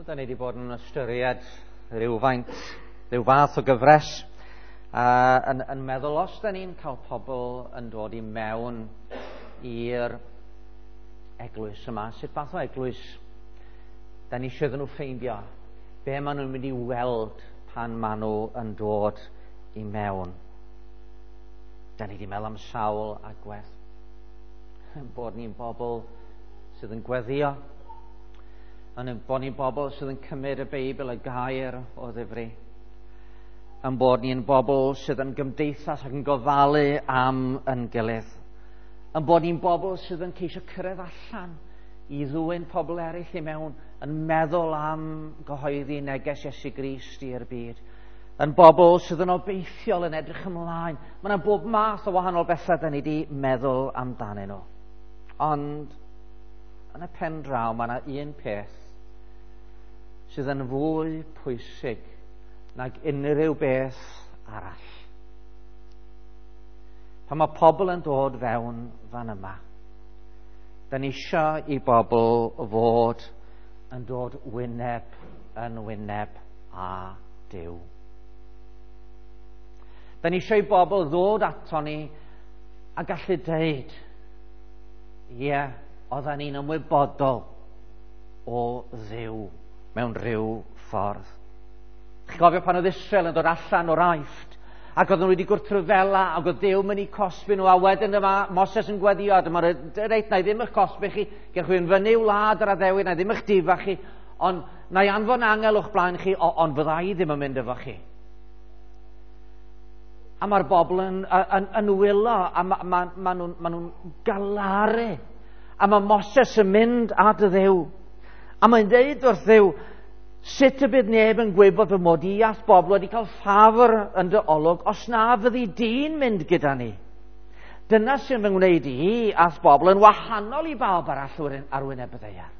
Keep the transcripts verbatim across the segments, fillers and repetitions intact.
Wel, da ni wedi bod yn ystyried rhywfaint, rhyw fath o gyfres, uh, yn, yn meddwl os da ni'n cael pobl yn dod i mewn i'r eglwys yma, sut fath o eglwys da ni eisiau iddyn nhw ffeindio, be maen nhw'n mynd i weld pan maen nhw yn dod i mewn. Da ni wedi meddwl am sawl agwedd, bod ni'n bobl sydd yn gweddio, yn bod ni'n bobl sydd yn cymryd y Beibl, y gair o ddifri, yn bod ni'n bobl sydd yn gymdeithas ac yn gofalu am yn gilydd, yn bod ni'n bobl sydd yn ceisio cyrraedd allan i ddwyn pobl eraill i mewn, yn meddwl am gyhoeddi neges Iesu Grist i'r byd, yn bobl sydd yn obeithiol, yn edrych ymlaen. Mae yna bob math o wahanol bethau da ni wedi meddwl amdanyn nhw. Ond yn y pen draw, mae yna un peth sydd yn fwy pwysig nag unrhyw beth arall. Pan mae pobl yn dod fewn fan yma, da ni eisiau i bobl fod yn dod wyneb yn wyneb â Duw. Da ni eisiau i bobl ddod ato ni a gallu deud, ie, yeah, oedden ni'n ymwybodol o Dduw mewn rhyw ffordd. Chi'n cofio pan oedd Israel yn dod allan o'r Aifft, ac oedden nhw wedi gwrthryfela, ac oedd Duw mynd i cosbi nhw, a wedyn yma Moses yn gweddio, a dyma reit, na i ddim eich cosbi chi, gewch chi fyny wlad yr addewid, na i ddim eich difa chi, ond na i anfon angel o'ch blaen chi, ond fydda i ddim yn mynd efo chi. A mae'r bobl yn, yn, yn wylo, a ma, ma, ma nhw'n ma nhw galaru. A mae Moses yn mynd at y Dduw. A mae'n dweud wrth Dduw, sut y bydd neb yn gwybod fy mod i a'th bobl wedi cael ffafr yn dy olwg os na fyddi di'n mynd gyda ni. Dyna sy'n fy ngwneud i a'th bobl yn wahanol i bawb arall ar wyneb y ddaear.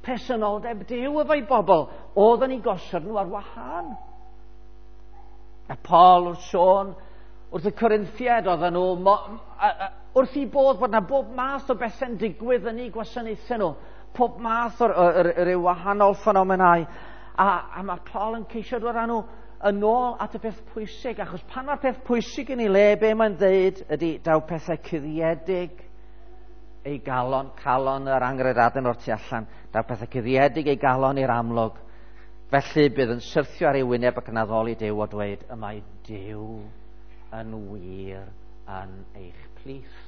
Presenoldeb Duw efo'i bobl oedd yn ei gosod nhw ar wahân. A Paul wrth sôn wrth y Corinthiaid oedden nhw wrth i bodd bod yna bob math o bethau'n digwydd yn eu gwasanaethau nhw, pob math o'r, or, or, or wahanol ffenomenau. A, a mae Paul yn ceisio dod â nhw yn ôl at y peth pwysig, achos pan mae'r peth pwysig yn ei le, be mae'n dweud ydy daw pethau cuddiedig ei galon, calon yr angredadyn o'r tu allan, daw pethau cuddiedig ei galon i'r amlwg. Felly bydd yn syrthio ar ei wyneb ac yn addoli Duw o dweud, y mae Duw yn wir yn eich plith.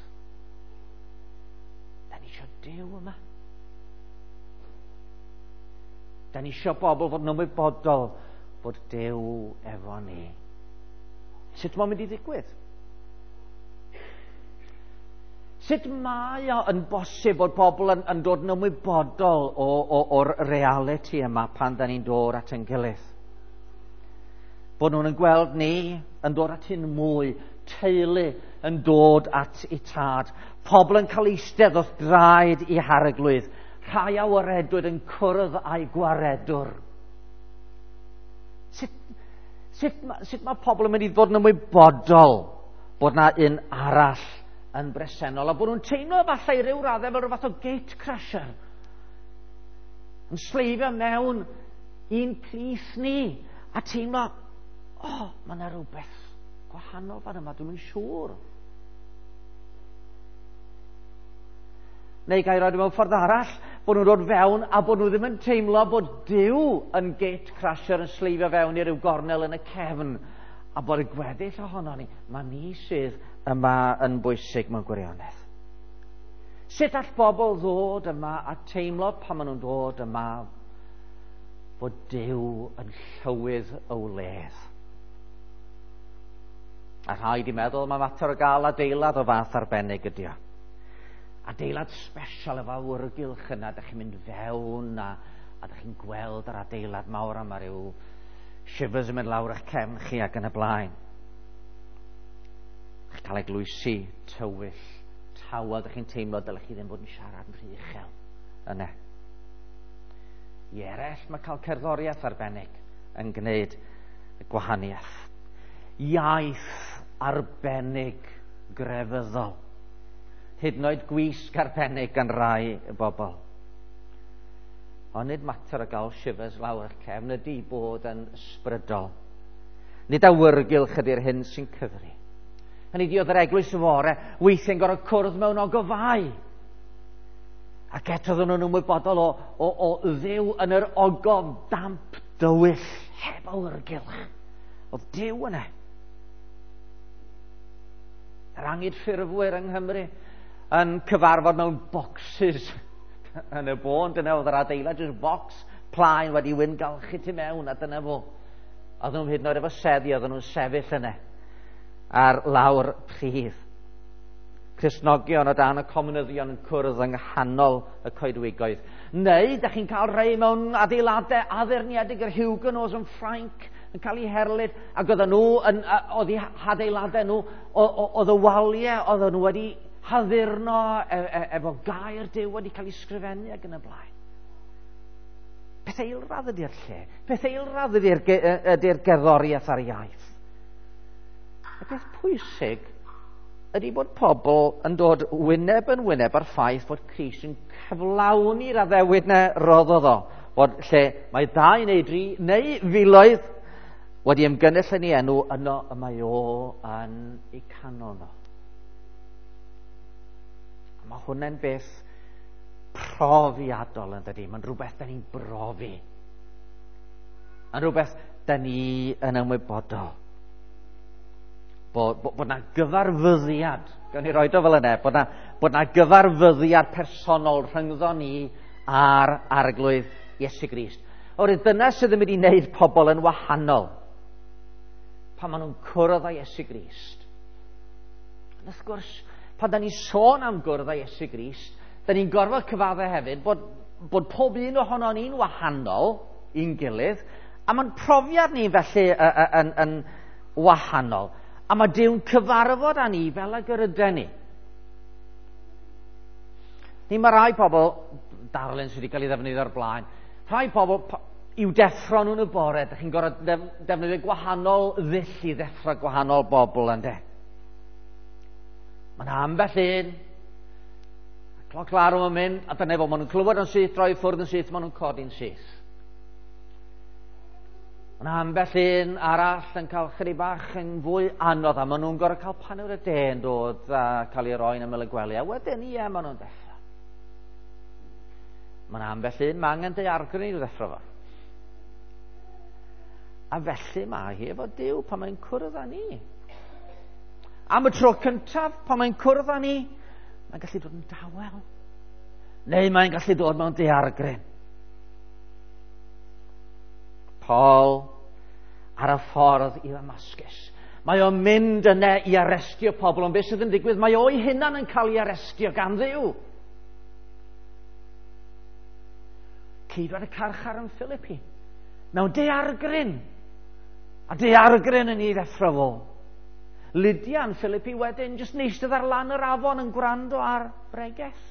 Da ni eisiau Duw yma. Da ni eisiau bobl fod yn ymwybodol bod Duw efo ni. Sut mae'n mynd i ddigwydd? Sut mae o yn bosib bod pobl yn, yn dod yn ymwybodol o, o, o'r reality yma pan da ni'n dod at ein gilydd? Bod nhw'n gweld ni yn dod at hyn mwy, teulu yn dod at eu tad, pobl yn cael eistedd wrth draed i harglwydd, rhai a waredwyd yn cwrdd â'i gwaredwr. Sut, sut, sut mae pobl yn mynd i ddod yn ymwybodol bod na un arall yn bresennol, a bod nhw'n teimlo falle i ryw raddau fel rhyw fath o gate crasher, yn sleifio mewn i'n plith ni, a teimlo, o, oh, mae yna rhywbeth gwahanol fan yma, dwi'm yn siŵr. Neu gael rhoi mewn ffordd arall, bod nhw'n dod fewn a bod nhw ddim yn teimlo bod Duw yn gate crasher yn sleifio fewn i ryw gornel yn y cefn, a bod y gweddill ohono ni, mae ni sydd yma yn bwysig mewn gwirionedd. Sut all bobl ddod yma a teimlo pan maen nhw'n dod yma bod Duw yn llywydd y wledd? A rhaid i meddwl, mae mater o gael adeilad o fath arbennig ydi o. Adeilad special efo awyrgylch yna, da chi'n mynd fewn a, a da chi'n gweld yr adeilad mawr yma, rhyw shivers yn mynd lawr eich cefn chi ac yn y blaen. Chi'n cael eglwysi tywyll, tawel, da chi'n teimlo dylech chi ddim bod yn siarad yn rhy uchel yna. I eraill mae cael cerddoriaeth arbennig yn gwneud y gwahaniaeth. Iaith arbennig grefyddol. Hyd yn oed gwisg arbennig gan rai y bobl. Ond nid mater o gael shivers lawr eich cefn ydy bod yn ysbrydol. Nid awyrgylch ydy'r hyn sy'n cyfri. Hynny ydi, oedd yr eglwys fore weithiau'n gorfod cwrdd mewn ogofau. Ac eto oedden nhw'n ymwybodol o, o, o Dduw yn yr ogof damp dywyll, heb awyrgylch. Oedd Duw yna. Yr angydffurfwyr yng Nghymru yn cyfarfod mewn boxes yn y bôn. Dyna oedd yr adeilad, jyst box plaen wedi wyngalchu tu mewn, a dyna fo. Oedden nhw'n hyd yn oed efo seddi, oedden nhw'n sefyll yna ar lawr pridd. Cristnogion o dan y comunyddion yn cwrdd yng nghanol y coedwigoedd. Neu, da chi'n cael rhai mewn adeiladau addurniedig, yr Huguenots yn Ffrainc yn cael eu herlid, ac oedden nhw, yn, oedd eu hadeiladau nhw, oedd y waliau, oedden nhw wedi haddurno e, e, efo gair Duw wedi cael ei sgrifennu ac yn y blaen. Peth eilradd ydy'r lle. Peth eilradd ydy'r ydy gerddoriaeth a'r iaith. Y peth pwysig ydy bod pobl yn dod wyneb yn wyneb ar ffaith bod Crist yn cyflawni'r addewid na roddodd o. Bod lle mae dau neu dri neu filoedd wedi ymgynnull yn ei enw, yno y mae o yn ei canol nhw. A mae hwnna'n beth profiadol yn dydi. Mae'n rhywbeth da ni'n brofi. Yn rhywbeth da ni yn ymwybodol. Bod, bod, bod na gyfarfyddiad, gawn ni roed o fel yna, bod na, bod na gyfarfyddiad personol rhyngddo ni a'r Arglwydd Iesu Grist. Oherwydd dyna sydd yn mynd i wneud pobl yn wahanol pan maen nhw'n cwrdd â Iesu Grist. Ond wrth gwrs, pan da ni'n sôn am gwrdd â Iesu Grist, da ni'n gorfod cyfadde hefyd bod, bod pob un ohono ni'n wahanol i'n gilydd, a mae'n profiad ni felly yn, yn, yn wahanol. A mae Duw'n cyfarfod â ni fel ag yr yden ni. Ni mae rai pobl, darlun sydd wedi cael ei ddefnyddio o'r blaen, rhai pobl i'w deffro nhw'n y bore, ydych chi'n gorfod defnyddio gwahanol ddull i ddeffro gwahanol bobl, ynde? Mae yna ambell un, a cloc larwm yn mynd, a dyna fo, maen nhw'n clywed yn syth, droi ffwrdd yn syth, maen nhw'n codi'n syth. Mae yna ambell un arall yn cael chydig bach yn fwy anodd, a maen nhw'n gorfod cael paned o de yn dod a cael ei roi'n ymyl y gwely, a wedyn, ie, maen nhw'n deffro. Mae yna ambell un, mae angen daeargryn i'w ddeffro fo. A felly mae hi efo Duw pan mae'n cwrdd â ni. Am y tro cyntaf, pan mae'n cwrdd â ni, mae'n gallu dod yn dawel. Neu mae'n gallu dod mewn daeargryn. Paul ar y ffordd i Ddamascus. Mae o'n mynd yna i arestio pobl, ond beth sydd yn digwydd? Mae o'i hunan yn cael ei arestio gan Dduw. Ceidwad y carchar yn Philippi. Mewn daeargryn. A daeargryn yn ei ddeffro fo. Lydia yn Philippi wedyn jyst yn eistedd ar lan yr afon yn gwrando ar bregeth.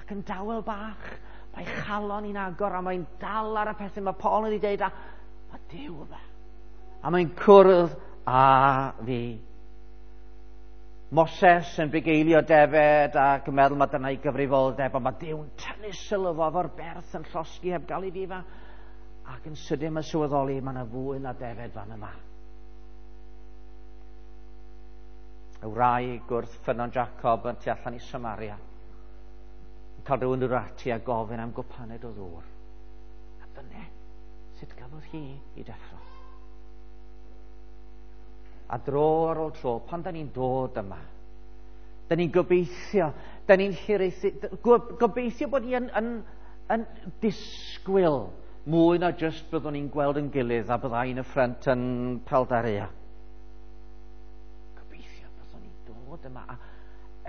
Ac yn dawel bach, mae chalon i'n agor a mae'n dal ar y pethau mae Paul yn ei deud, a mae Duw yma. A mae'n cwrdd â fi. Moses yn bugeilio defed ac yn meddwl mae dyna'i gyfrifoldeb, ond mae Duw'n tynnu sylw fo efo'r berth yn llosgi heb gael ei ddifa. Ac yn sydyn mae'n sylweddoli mae yna fwy na defed fan yma. Y wraig wrth ffynnon Jacob yn tu allan i Samaria yn cael rhywun dod ati a gofyn am gwpaned o ddŵr. A dyna sut gafodd hi i deffro. A dro ar ôl tro, pan da ni'n dod yma, da ni'n gobeithio, da ni'n hiraethu, gobeithio bod ni yn, yn, yn disgwyl mwy na jyst byddwn ni'n gweld yn gilydd a byddai yn y ffrynt yn Paldaria. Gobeithio byddwn ni'n dod yma a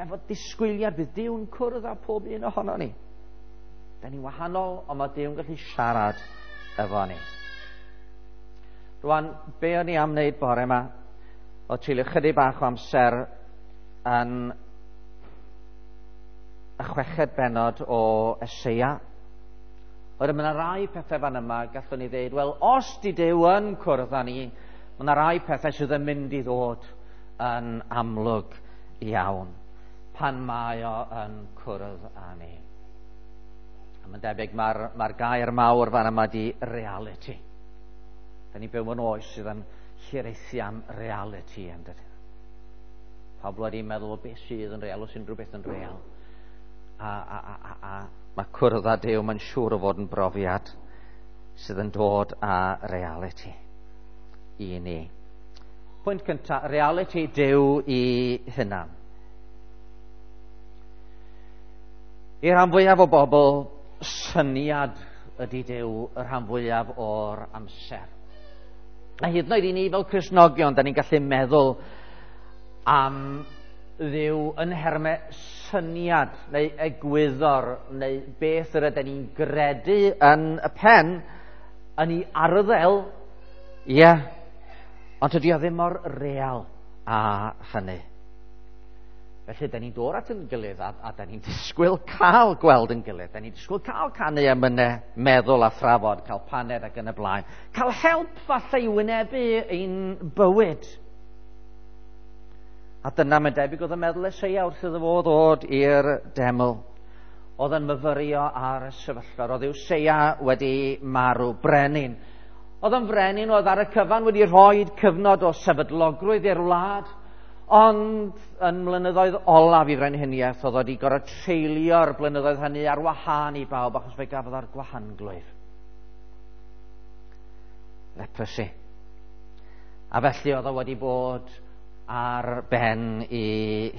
efo disgwyliad bydd Duw'n cwrdd â pob un ohono ni. Da ni'n wahanol, ond mae Duw'n gallu siarad efo ni. Rwan, be o'n i am wneud bore yma? O treulio chydig bach o amser yn y chweched bennod o Eseia. Oherwydd mae yna rai pethau fan yma gallwn ni ddeud, wel, os di Duw yn cwrdd â ni, mae yna rai pethau sydd yn mynd i ddod yn amlwg iawn pan mae o yn cwrdd â ni. A mae'n debyg mae'r mae gair mawr fan yma di reality. Da ni'n byw mewn oes sydd yn hiraethu am reality, yn dydy. Pobl wedi meddwl o beth sydd yn real, os unrhyw beth yn real. A, a, a, a, a mae cwrdd â Duw, mae'n siŵr o fod yn brofiad sydd yn dod â reality i ni. Pwynt cyntaf, reality Duw i hunan. I'r rhan fwyaf o bobl, syniad ydy Duw y rhan fwyaf o'r amser. A hyd yn oed i ni fel Cristnogion, da ni'n gallu meddwl am Dduw yn nhermau syniad neu egwyddor neu beth yr ydyn ni'n gredu yn y pen, yn ei arddel, ie, yeah, ond tydi o ddim mor real â hynny. Felly, da ni'n dod at yn gilydd a, a da ni'n disgwyl cael gweld yn gilydd. Da ni'n disgwyl cael canu emynau, meddwl a thrafod, cael paned ac yn y blaen. Cael help falle i wynebu ein bywyd. A dyna mae'n debyg oedd yn meddwl Eseia wrth iddo fo ddod i'r deml. Oedd yn myfyrio ar y sefyllfa. Roedd Usseia wedi marw, brenin. Oedd yn frenin oedd ar y cyfan wedi rhoi cyfnod o sefydlogrwydd i'r wlad. Ond yn mlynyddoedd olaf i frenhiniaeth, oedd wedi gorfod treulio'r blynyddoedd hynny ar wahân i bawb, achos fe gafodd ar gwahanglwyf. Leprosy. A felly oedd o wedi bod ar ben i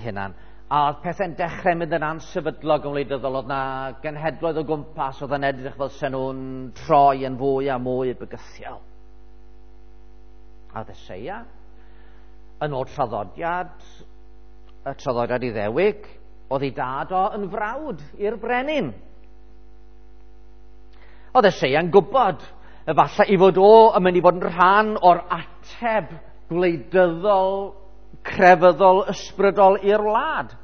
hunan. A oedd pethau'n dechrau mynd yn ansefydlog yn wleidyddol, oedd na genhedloedd o gwmpas oedd yn edrych fel sen nhw'n troi yn fwy a mwy bygythiol. A oedd Eseia, yn ôl traddodiad, y traddodiad Iddewig, oedd ei dad o yn frawd i'r brenin. Oedd Eseia'n gwybod efallai i fod o yn mynd i fod yn rhan o'r ateb gwleidyddol, crefyddol, ysbrydol i'r wlad.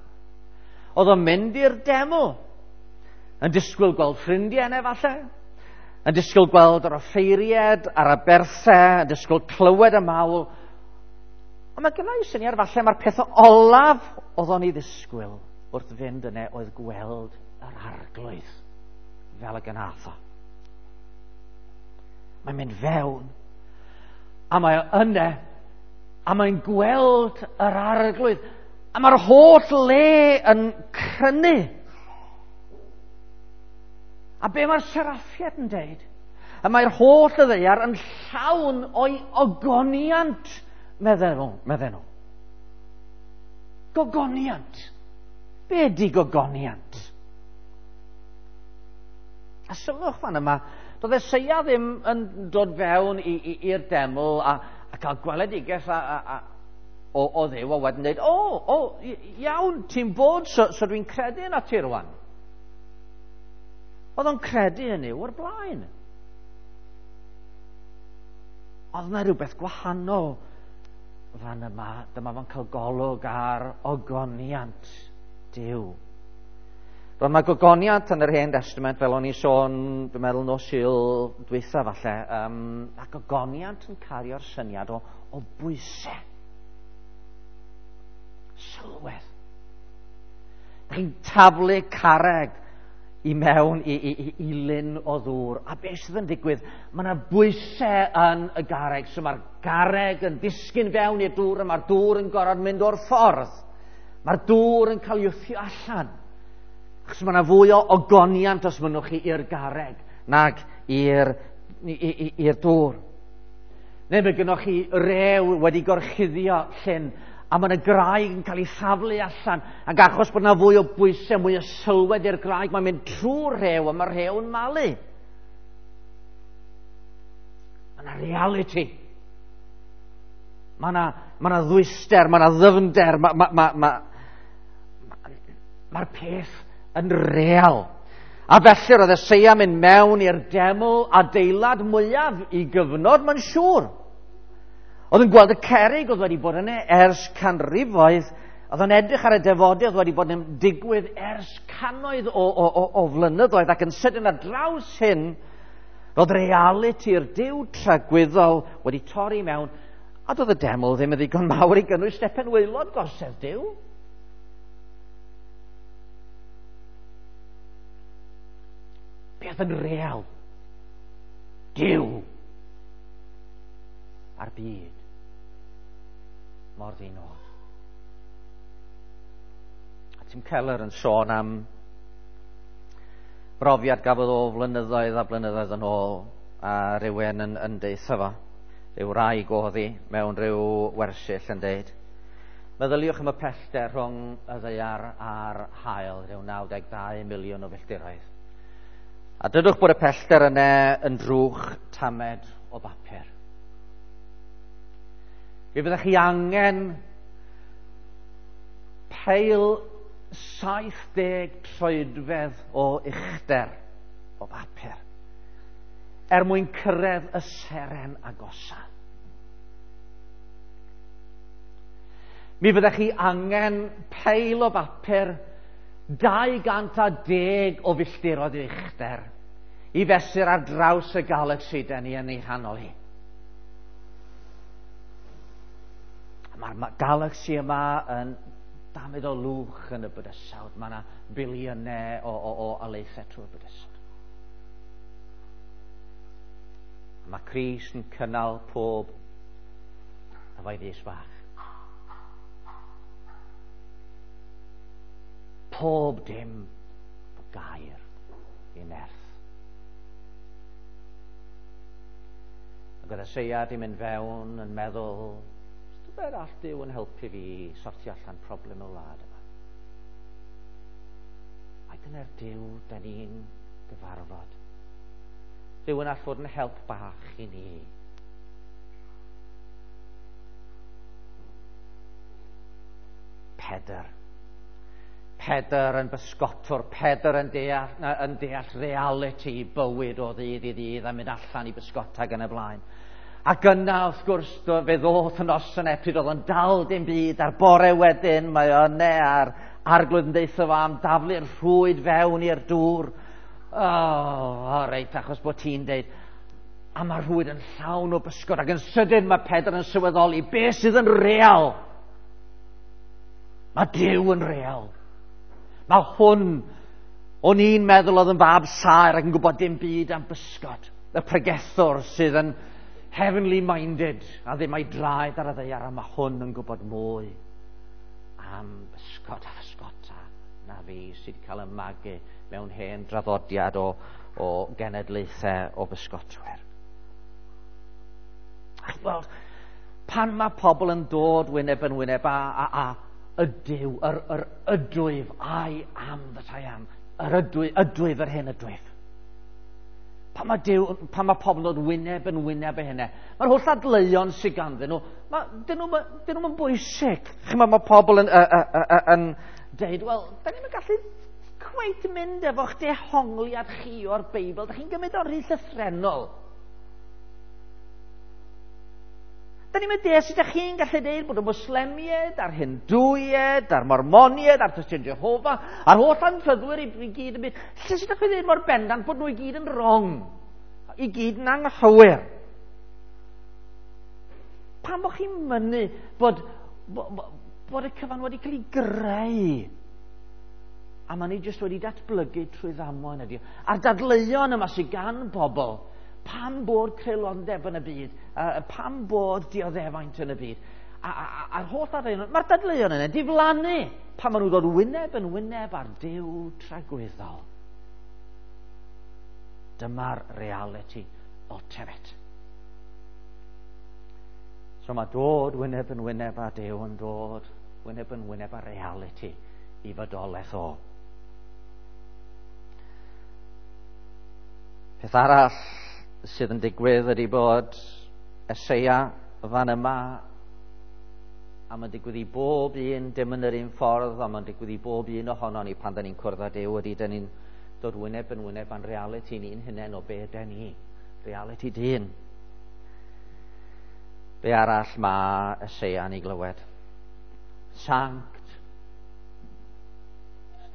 Oedd o'n mynd i'r deml, yn disgwyl gweld ffrindiau yna efallai, yn disgwyl gweld yr offeiriad a'r aberthau, yn disgwyl clywed y mawl. Ond mae gynna i syniad falle mae'r peth olaf oedd o'n ei ddisgwyl wrth fynd yna oedd gweld yr arglwydd fel y gnath o. Mae'n mynd fewn a mae o yna a mae'n gweld yr arglwydd a mae'r holl le yn crynu. A be mae'r seraffiad yn deud? A mae'r holl y ddaear yn llawn o'i ogoniant, medden nhw, medden nhw. Gogoniant. Be ydi gogoniant? A sylwch fan yma, doedd Eseia ddim yn dod fewn i'r deml a, a cael gweledigaeth a, a, a, o, o Dduw a wedyn dweud, o, o, iawn, ti'n bod, so, so dwi'n credu yna ti rwan. Oedd o'n credu yn Nuw o'r blaen. Oedd yna rhywbeth gwahanol fan yma. Dyma fo'n cael golwg ar ogoniant Duw. Roedd mae gogoniant yn yr Hen Testament, fel o'n i sôn, dwi'n meddwl nos Sul dwytha falle, um, a gogoniant yn cario'r syniad o, o bwysau. Sylwedd. Da chi'n taflu carreg i mewn i, i, i, i lyn o ddŵr. A beth sydd yn digwydd? Mae yna bwysau yn y garreg. So mae'r garreg yn disgyn fewn i'r dŵr a mae'r dŵr yn gorfod mynd o'r ffordd. Mae'r dŵr yn cael ei wthio allan. Achos mae yna fwy o ogoniant os mynnwch chi i'r garreg nag i'r i'r dŵr. Neu mae gennych chi rew wedi gorchuddio llyn a mae yna graig yn cael ei thaflu allan, ac achos bod yna fwy o bwysau, mwy o sylwedd i'r graig, mae'n mynd trwy'r rhew a mae'r rhew yn malu. Mae yna reality. Mae yna, mae yna ddwyster, mae yna ddyfnder, mae'r ma, ma, ma, ma, ma peth yn real. A felly roedd Eseia mynd mewn i'r deml adeilad mwyaf i gyfnod, mae'n siŵr. Oedd yn gweld y cerrig oedd wedi bod yna ers canrifoedd, oedd yn edrych ar y defodau oedd wedi bod yn digwydd ers cannoedd o, o, o, o flynyddoedd, ac yn sydyn ar draws hyn, roedd realiti'r Duw tragwyddol wedi torri mewn, a doedd y deml ddim yn ddigon mawr i gynnwys stepen waelod gorsedd Duw. Beth yn real? Duw a'r byd mor ddinod. A Tim Keller yn sôn am brofiad gafodd o flynyddoedd a blynyddoedd yn ôl, a rhywun yn, yn deutha fo, rhyw wraig oedd hi mewn rhyw wersyll yn deud, meddyliwch am y pellter rhwng y ddaear a'r haul, rhyw naw deg dau miliwn o filltiroedd. A dydwch bod y pellter yna yn drwch tamed o bapur. Fe fyddech chi angen peil saith deg troedfedd o uchder o bapur er mwyn cyrraedd y seren agosa. Mi fyddech chi angen peil o bapur dau gant a deg o filltiroedd o uchder i fesur ar draws y galaxy den ni yn ei chanol hi. Mae'r galaxy yma yn damed o lwch yn y bydysawd. Mae yna biliynau o, o, o alaethau trwy'r bydysawd. Mae Crist yn cynnal pob efo'i ddys bach. Pob dim o gair i nerth. Ac oedd Eseia di mynd fewn yn meddwl, tybed all Duw yn helpu fi sortio allan problem y wlad yma. Ai dyna'r Duw da ni'n gyfarfod. Duw yn all fod yn help bach i ni. Pedr. Pedr yn bysgotwr, Pedr yn deall, yn deall reality bywyd o ddydd i ddydd a mynd allan i bysgota gan y blaen. Ac yna, wrth gwrs, fe ddoth y noson pryd oedd o'n dal dim byd, a'r bore wedyn mae o yna a'r arglwydd yn deutha fo am daflu'r rhwyd fewn i'r dŵr. O, oh, o reit, achos bod ti'n deud. A mae'r rhwyd yn llawn o bysgod, ac yn sydyn mae Pedr yn sylweddoli beth sydd yn real. Mae Duw yn real. Mae hwn, o'n i'n meddwl oedd yn fab saer ac yn gwybod dim byd am bysgod. Y pregethwr sydd yn heavenly minded a ddim ei draed ar y ddaear, a mae hwn yn gwybod mwy am bysgod a physgota na fi sydd wedi cael y magu mewn hen draddodiad o, o genedlaethau o bysgotwyr. A wel, pan mae pobl yn dod wyneb yn wyneb a, a, a ydyw, yr, yr ydwyf, I am that I am, yr ydwyf, ydwyf yr hen ydwyf. Pan mae, Duw, pan mae pobl yn dod wyneb yn wyneb y hynny, mae'r holl dadleuon sydd ganddyn nhw, ma, dyn nhw'n dyn nhw'n bwysig. Chimod, mae pobl yn, uh, uh, uh, yn deud, wel, da ni'n gallu cweit mynd efo'ch dehongliad chi o'r Beibl, da chi'n gymryd o'n rhy llythrennol. Da ni'n mynd deall sut ydych chi'n gallu deud bod y Mwslemiaid, a'r Hindwiaid, a'r Mormoniaid, a'r Tystion Jehofa, a'r holl anffyddwyr i, i gyd yn byd. Lle sut ydych chi'n dweud mor bendant bod nhw i gyd yn wrong? I gyd yn anghywir? Pam bod chi'n mynnu bod, bod, bod y cyfan wedi cael ei greu? A maen nhw jyst wedi datblygu trwy ddamwain ydy. A'r dadleuon yma sydd gan bobl, pam bod creulondeb yn y byd, uh, pam bod dioddefaint yn y byd, a, a, a'r holl dadleuon, mae'r dadleuon yna diflannu pan maen nhw ddod wyneb yn wyneb ar Duw tragwyddol. Dyma'r reality ultimate. So mae dod wyneb yn wyneb â Duw yn dod wyneb yn wyneb â reality i fodolaeth o. Peth arall sydd yn digwydd ydy bod Eseia fan yma, a mae'n digwydd i bob un, dim yn yr un ffordd, ond mae'n digwydd i bob un ohonon ni pan da ni'n cwrdd â Duw, ydy da ni'n dod wyneb yn wyneb â'n reality ni'n hunain o be yden ni, reality dyn. Be arall mae Eseia yn ei glywed? Sanct.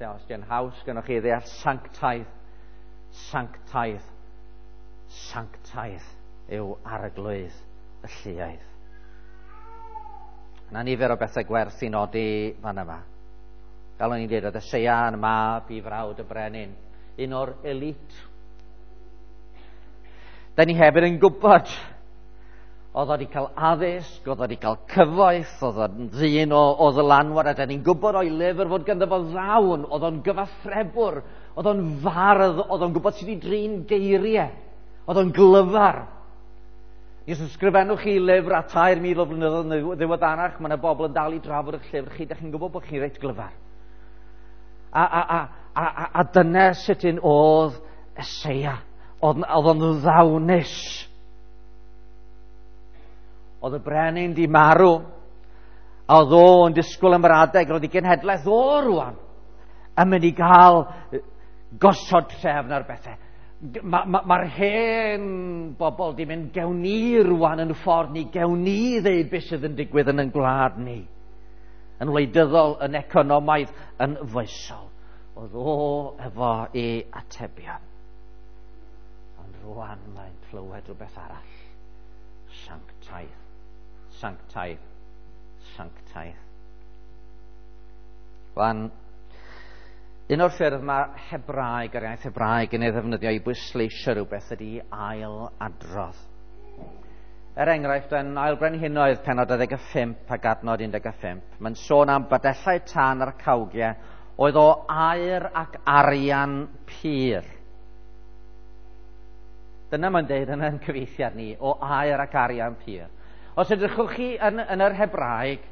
Os di'n haws gynnwch chi ddeall sanctaidd, sanctaidd, sanctaidd yw arglwydd y lluoedd. Yna nifer o bethau gwerth i nodi fan yma. Fel o'n i'n dweud, oedd Eseia yn mab i frawd y brenin, un o'r elite. Da ni hefyd yn gwybod, oedd o wedi cael addysg, oedd o wedi cael cyfoeth, oedd o'n ddyn o, o ddylanwad, a da ni'n gwybod o'i lyfr fod ganddo fo ddawn, oedd o'n gyfathrebwr, oedd o'n fardd, oedd o'n gwybod sut i drin geiriau, oedd o'n glyfar. Os ysgrifennwch chi lyfr a tair mil o flynyddoedd yn ddiweddarach, mae yna bobl yn dal i drafod eich llyfr chi, da chi'n gwybod bod chi'n reit glyfar. A, a, a, a, a, a dyna sut un oedd Eseia. Oedd, oedd o'n ddawnus. Oedd y brenin di marw, a oedd o'n disgwyl am yr adeg, roedd ei genhedlaeth o rwan yn mynd i gael gosod trefn ar bethau. Mae'r ma, ma hen bobl di mynd, gewn ni rwan yn ffordd ni, gewn ni ddeud beth sydd yn digwydd yn ein gwlad ni. Yn wleidyddol, yn economaidd, yn foesol. Oedd o efo ei atebion. Ond rwan mae'n clywed rhywbeth arall. Sanctaidd, sanctaidd, sanctaidd. Rwan, un o'r ffyrdd mae Hebraeg, yr iaith Hebraeg, yn ei ddefnyddio i bwysleisio rhywbeth ydy ail adrodd. Er enghraifft, yn Ail Brenhinoedd pennod dau ddeg pump ac adnod un deg pump, mae'n sôn am badellau tân a'r cawgiau oedd o aur ac arian pur. Dyna mae'n deud yn ein cyfieithiad ni, o aur ac arian pur. Os edrychwch chi yn, yn yr Hebraeg,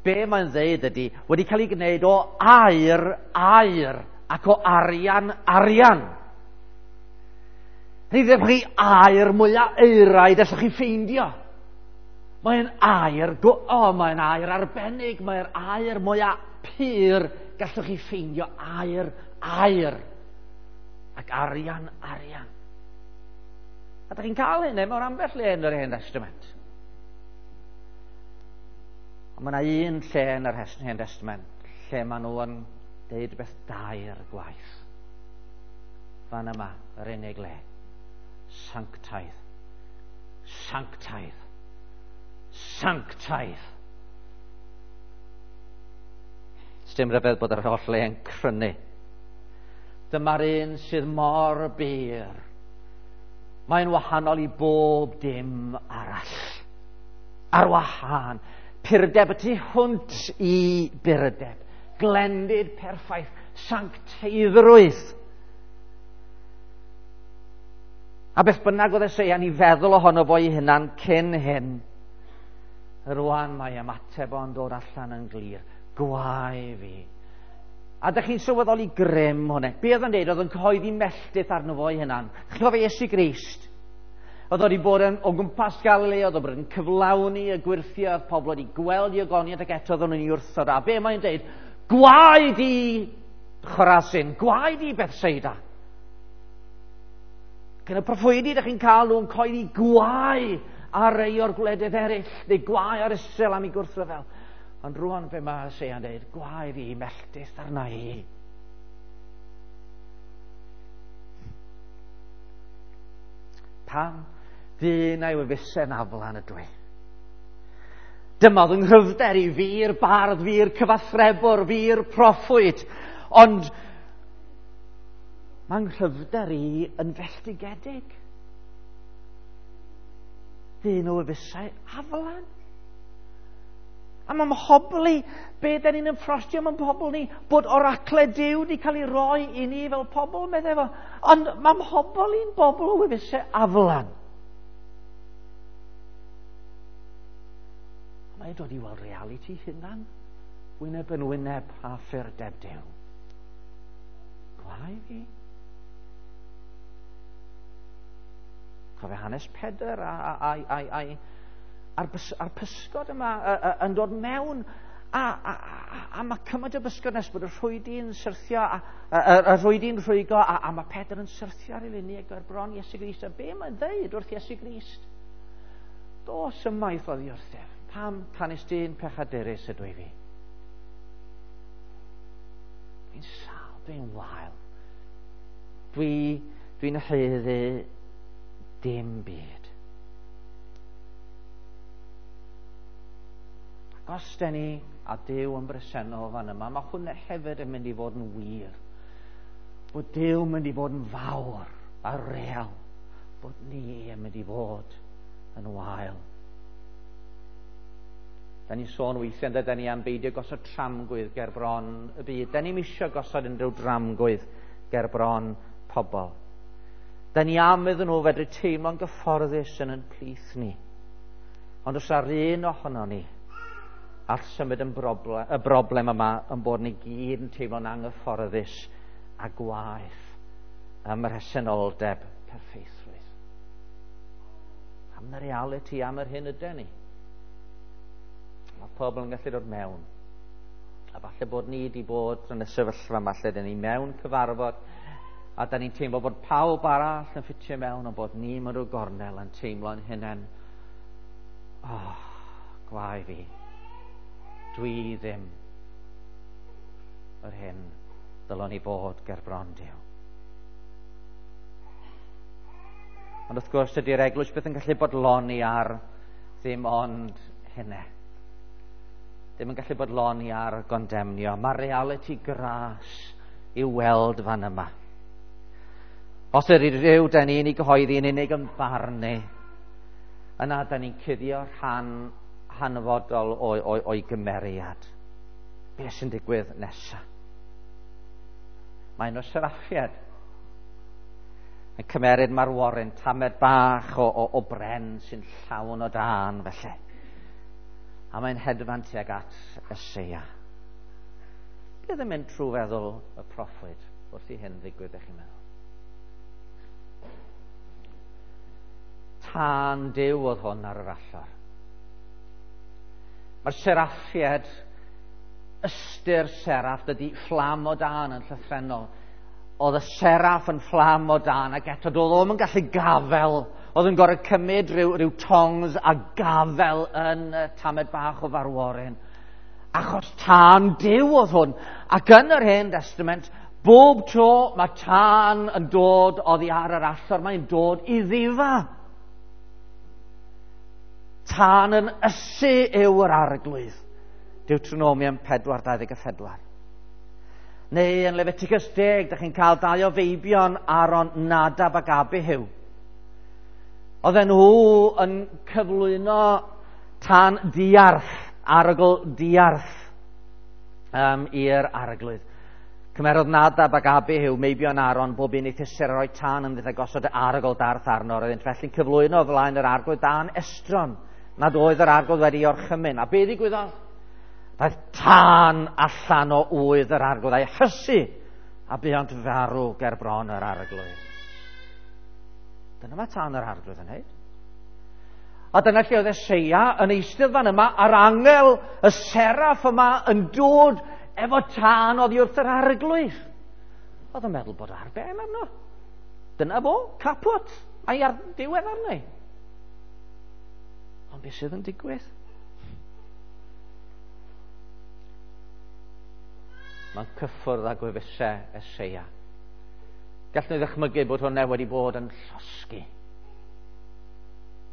be mae'n ddeud ydy, wedi cael ei gwneud o aur, aur, ac o arian, arian. Ni ddim chi aur mwyaf eiraidd allwch chi ffeindio. Mae'n aur, o, oh, mae'n aur arbennig, mae'n aur mwyaf pur gallwch chi ffeindio, aur, aur, ac arian, arian. A da chi'n cael hynny mewn ambell le yn yr Hen Testament. Ond mae yna un lle yn yr Hen Testament lle maen nhw yn deud rhywbeth dair gwaith. Fan yma, yr unig le. Sanctaidd. Sanctaidd. Sanctaidd. Sdim rhyfedd bod yr holl le yn crynu. Dyma'r un sydd mor bur. Mae'n wahanol i bob dim arall. Ar wahân. Purdeb y tu hwnt i burdeb. Glendid perffaith. Sancteiddrwydd. A beth bynnag oedd Eseia'n ei feddwl ohono fo ei hunan cyn hyn, rwan mae ymateb o'n dod allan yn glir. Gwae fi. A dych chi'n sylweddoli grym hwnna. Be oedd yn deud? Oedd yn cyhoeddi melltith arno fo ei hunan. Chi'n cofio Iesu Grist? Oedd wedi bod yn, o gwmpas Galilea, oedd wedi bod yn cyflawni y gwyrthiau, oedd pobl wedi gweld i ogoniad ac eto oedden nhw'n ei wrthod. A be mae'n deud? Gwae di Chorazin, gwae di Bethsaida. Ac yn y proffwydi, ydych chi'n cael nhw'n coeddi gwae ar rei o'r gwledydd eraill, neu gwae ar Israel am ei gwrthryfel. Ond rwan be mae Eseia'n deud, gwae fi, melltith arna i. Pam dyn a'i wefusau'n aflan ydw i? Dyma oedd yng nghryfder i fi'r bardd, fi'r cyfathrebwr, fi'r proffwyd. Ond mae'n nghryfder i yn felltigedig. Dyn o wefusau aflan. A mae'n mhobl i, be da ni'n ymffrostio mewn pobl ni, bod oracle Duw wedi cael ei roi i ni fel pobl, meddai fo. Ond mae mhobl i'n bobl o wefusau aflan. Mae'n dod i weld realiti hunan, wyneb yn wyneb a ffyrdeb Duw. Gwae fi. Cofio hanes Pedr a, a, a, a, a, a'r, bys, a'r pysgod yma a, a, yn dod mewn a, a, a, a mae cymaint o bysgod nes bod y rhwydi'n syrthio a, a, a, a rhwydi'n rhwygo a, a mae Pedr yn syrthio ar ei lini ag ar bron Iesu Grist. A be mae'n dweud wrth Iesu Grist? Dos ymaith oddi wrthyf. Pam canys dyn pechadurus ydw i fi? Dwi'n sâl, dwi'n wael. Dwi, dwi'n haeddu dim byd. Ac os den ni a Duw yn bresennol fan yma, mae hwnna hefyd yn mynd i fod yn wir. Bod Duw yn mynd i fod yn fawr a real. Bod ni yn mynd i fod yn wael. Da ni'n sôn weithiau, da ni am beidio gosod tramgwydd ger bron y byd. Da ni'n isio gosod unrhyw dramgwydd ger bron pobl. Da ni am iddyn nhw fedru teimlo'n gyfforddus yn yn plith ni. Ond os ar un ohono ni all symud yn broblem, y broblem yma yn bod ni gyd yn teimlo'n anghyfforddus a gwaeth ym mhresenoldeb perffeithrwydd. Am y realiti, am yr hyn ydy ni. Mae pobl yn gallu dod mewn. A falle bod ni wedi bod yn y sefyllfa yma lle dyn ni mewn cyfarfod a da ni'n teimlo bod pawb arall yn ffitio mewn ond bod ni mewn rhyw gornel yn teimlo'n hunain. Oh, gwae fi. Dwi ddim yr hyn ddylwn i fod ger bron Duw. Ond wrth gwrs dydy'r eglwys byth yn gallu bodloni ar ddim ond hynny. Ddim yn gallu bodloni ar gondemnio. Mae realiti gras i'w weld fan yma. Os ydy rhyw da ni'n ei gyhoeddi yn unig yn barnu, yna da ni'n cuddio rhan hanfodol o'i, o'i, o'i gymeriad. Be sy'n digwydd nesaf? Mae un o seraffiad yn cymeryd marworyn, tamed bach o, o, o bren sy'n llawn o dân felly. A mae'n hedfan tuag at Eseia. Beth yn mynd trwy feddwl y proffwyd wrth i hyn ddigwydd, ych chi'n meddwl? Tân Duw oedd hwn ar yr allor. Mae'r seraffiad, ystyr seraff, dydy fflam o dân yn llythrennol. Oedd y seraff yn fflam o dân ac eto doedd o'm yn gallu gafel. Oedd yn gorfod cymryd rhyw, rhyw tongs a gafel yn y tamed bach o farworyn. Achos tân Duw oedd hwn. Ac yn yr Hen Testament, bob tro mae tân yn dod oddi ar yr allor, mae'n dod i ddifa. Tân yn ysu yw yr arglwydd. Deuteronomium pedwar dau ddeg a phedwar. Neu yn Leviticus deg, dych chi'n cael dau o feibion Aaron, Nadab ac Abihu. Oedden nhw yn cyflwyno tân diarth, arogl diarth um, i'r arglwydd. Cymerodd Nadab ac Abihu, meibion Aaron, bob un ei thysur a roi tân ynddynt a gosod y arogl darth arno. Roeddynt felly'n cyflwyno o flaen yr arglwydd dân estron, nad oedd yr arglwydd wedi orchymyn. A be ddigwyddodd? Daeth tân allan o ŵydd yr arglwydd a'i hysu, a buont farw ger bron yr arglwydd. Dyna mae tân yr arglwydd yn neud. A dyna lle oedd Eseia yn eistedd fan yma, a'r angel, y seraff yma yn dod efo tân oddi wrth yr arglwydd. Oedd yn meddwl bod ar ben arno. Dyna fo, caput, a'i ar diwedd arni. Ond beth sydd yn digwydd? Mae'n cyffwrdd â gwefusau Eseia. Gallwn ni ddychmygu bod hwnna wedi bod yn llosgi.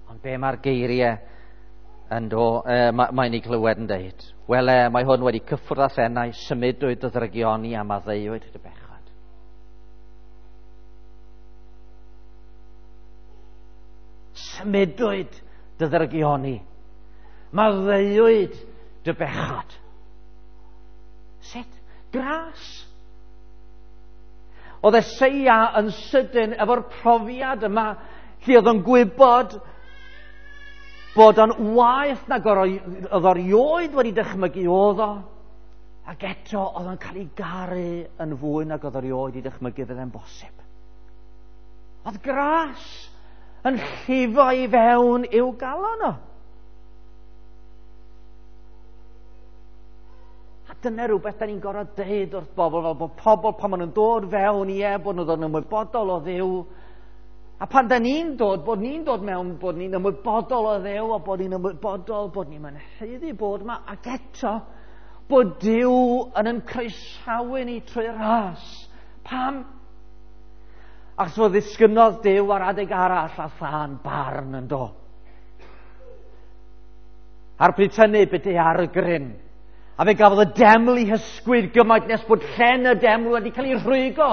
Ond be mae'r geiriau yn do, e, mae'n ei glywed yn deud? Wele, mae hwn wedi cyffwrdd â thenau, symudwyd dy ddrygioni a maddeuwyd dy bechod. Symudwyd dy ddrygioni, maddeuwyd dy bechod. Sut? Gras. Oedd Eseia yn sydyn efo'r profiad yma lle oedd o'n gwybod bod o'n waeth nag oedd o erioed wedi dychmygu oedd o, ac eto oedd o'n cael ei garu yn fwy nag oedd o erioed wedi dychmygu fydde'n bosib. Oedd gras yn llifo i fewn i'w galon o. A dyna rhywbeth da ni'n gorfod deud wrth bobl, fel bod pobl pan maen nhw'n dod fewn, ie, bod nhw'n dod yn ymwybodol o Dduw. A pan da ni'n dod, bod ni'n dod mewn, bod ni'n ymwybodol o Dduw, a bod ni'n ymwybodol, bod ni'n haeddu bod yma, ac eto, bod Duw yn yn croesawu ni trwy ras. Pam? Achos fod ddisgynnodd Duw ar adeg arall a thân barn yn do. A'r bryd hynny bydde ar y gryn. A fe gafodd y deml ei hysgwyd gymaint nes bod llen y deml wedi cael ei rhwygo.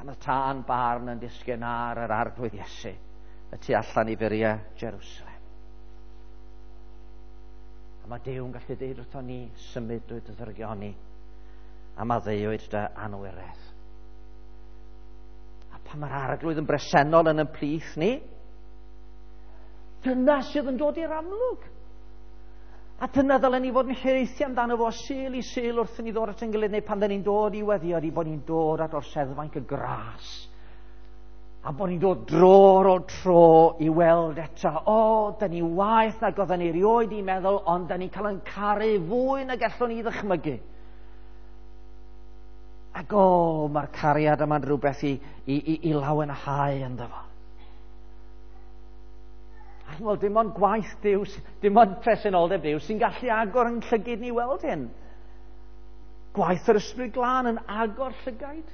Pan y tân barn yn disgyn ar yr Arglwydd Iesu y tu allan i furiau Jerusalem. A mae Duw yn gallu deud wrthon ni, symudwyd dy ddrygioni a maddeuwyd dy anwiredd. A pan mae'r Arglwydd yn bresennol yn ein plith ni, dyna sydd yn dod i'r amlwg. A dyna ddylen ni fod yn hiraethu amdano fo Sul i Sul wrth i ni ddod at ein gilydd, neu pan dyn ni'n dod i weddio, ydi bod ni'n dod at orseddfainc y gras. A bod ni'n dod dro ar ôl tro i weld eto, o, dyn ni waeth nag oedden ni erioed i meddwl, ond dyn ni'n cael ein caru fwy na gallwn ni ddychmygu. Ac o, mae'r cariad yma'n rhywbeth i, i, i, i lawenhau ynddo fo. A wel, dim ond gwaith Duw, dim ond presenoldeb Duw sy'n gallu agor yn llygid ni weld hyn. Gwaith yr Ysbryd Glân yn agor llygaid.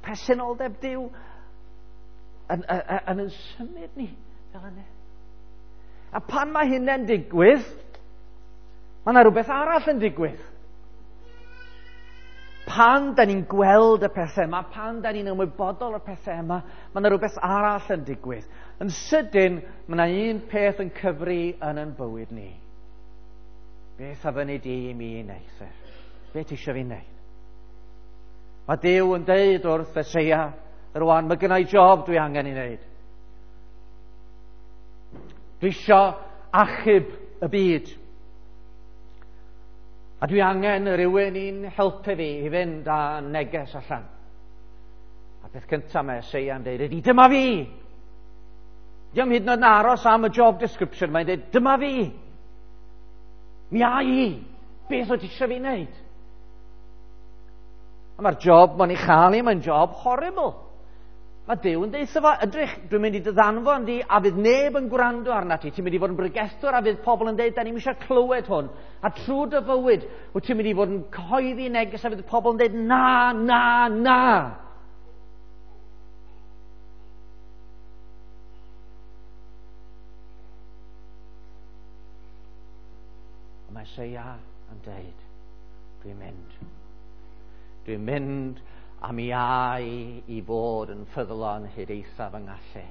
Presenoldeb Duw yn, yn, yn, yn symud ni fel yna. A pan mae hynny'n digwydd, mae yna rhywbeth arall yn digwydd. Pan da ni'n gweld y pethau yma, pan da ni'n ymwybodol o'r pethau yma, mae yna rhywbeth arall yn digwydd. Yn sydyn, mae yna un peth yn cyfri yn ein bywyd ni. Beth a fyny di i mi wneud? Beth ti eisiau fi wneud? Mae Duw yn deud wrth Eseia, rwan, mae gynna i job dwi angen i wneud. Dwi eisiau achub y byd. A dwi angen rhywun i'n helpu fi i fynd â neges allan. A beth cyntaf mae Eseia'n deud ydy, dyma fi! Diolch hyd yn oed yn aros am y job description, mae'n deud, dyma fi! Mi a i! Beth wyt ti eisiau fi wneud? A mae'r job mae'n ei chael i, mae'n job horrible. Mae Duw yn deud fo, edrych, dwi'n mynd i dy ddanfon di, a fydd neb yn gwrando arna ti. Ti'n mynd i fod yn bregethwr, a fydd pobl yn deud, da ni'n eisiau clywed hwn. A trwy dy fywyd, wyt ti'n mynd i fod yn cyhoeddi neges, a fydd pobl yn deud, na, na, na. A mae Eseia yn deud, dwi'n mynd. Dwi'n mynd a mi ai i fod yn ffyddlon hyd eithaf yng ngallu.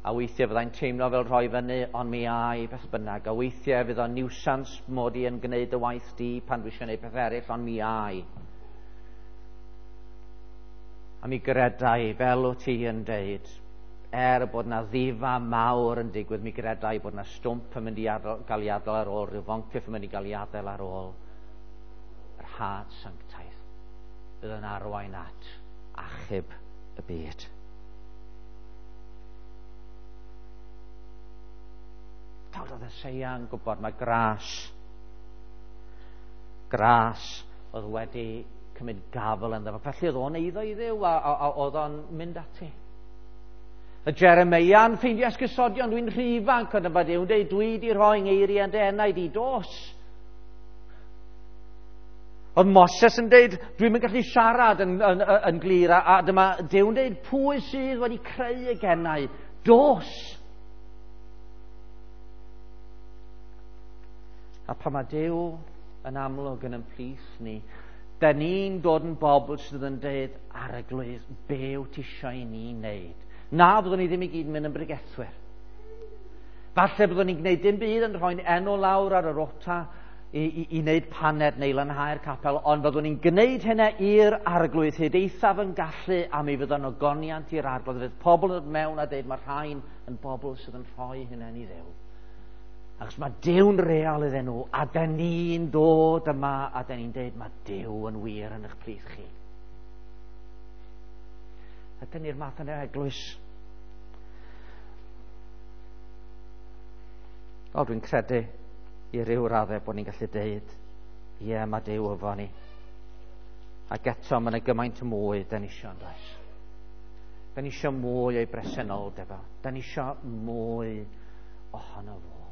A weithiau fyddai'n teimlo fel rhoi fyny, ond mi ai beth bynnag. A weithiau fydd o'n niwsans mod i yn gwneud y waith di pan dwi eisiau gwneud peth eraill, ond mi ai. A mi gredai, fel wyt ti yn deud, er bod na ddifa mawr yn digwydd, mi gredai bod na stwmp yn mynd i adael, gael ei adael ar ôl, rhyw foncyff yn mynd i gael ei adael ar ôl, yr had sanctaidd fydd yn arwain at achub y byd. Dawd oedd Eseia yn gwybod mae gras, gras oedd wedi cymryd gafel ynddo fo. Felly oedd o'n eiddo i Dduw a, a, a oedd o'n mynd ati. Y Jeremeia'n ffeindio esgusodion, dwi'n rhy ifanc, ond yma Duw'n deud, dwi di rhoi ngeiriau yn dy enaid i, dos. Oedd Moses yn deud, dwi'm yn gallu siarad yn, yn, yn, yn glir, a, a dyma Duw'n deud, pwy sydd wedi creu y genau? Dos! A pan mae Duw yn amlwg yn ein plith ni, da ni'n dod yn bobl sydd yn deud, Arglwydd, be wyt ti eisiau i ni wneud? Na, byddwn ni ddim i gyd yn mynd yn bregethwyr. Falle byddwn ni'n gwneud dim byd yn rhoi'n enw lawr ar y rota i, i, i wneud paned neu lanhau'r capel, ond byddwn ni'n gwneud hynna i'r Arglwydd hyd eithaf yn gallu, a mi fydd o'n ogoniant i'r Arglwydd. Fydd pobl yn dod mewn a deud mae'r rhain yn bobl sydd yn rhoi hynna i Dduw. Achos mae Duw'n real iddyn nhw, a da ni'n dod yma, a da ni'n deud mae Duw yn wir yn eich plith chi. Ydyn ni'r math yna eglwys? O, dwi'n credu i ryw raddau bod ni'n gallu deud, ie, yeah, mae Duw efo ni. Ac eto, mae yna gymaint mwy da ni isio, yn does? Da ni isio mwy o'i bresenoldeb o. Da ni isio mwy ohono fo.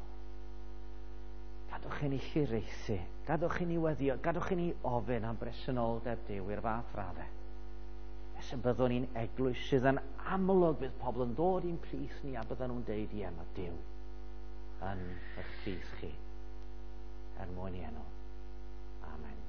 Gadwch i ni hiraethu, gadwch i ni weddio, gadwch i ni ofyn am bresenoldeb Duw i'r fath raddau. Nes y byddwn ni'n eglwys sydd yn amlwg, bydd pobl yn dod i'n plith ni a bydden nhw'n deud, ie, mae Duw yn eich plith chi, er mwyn i enw. Amen.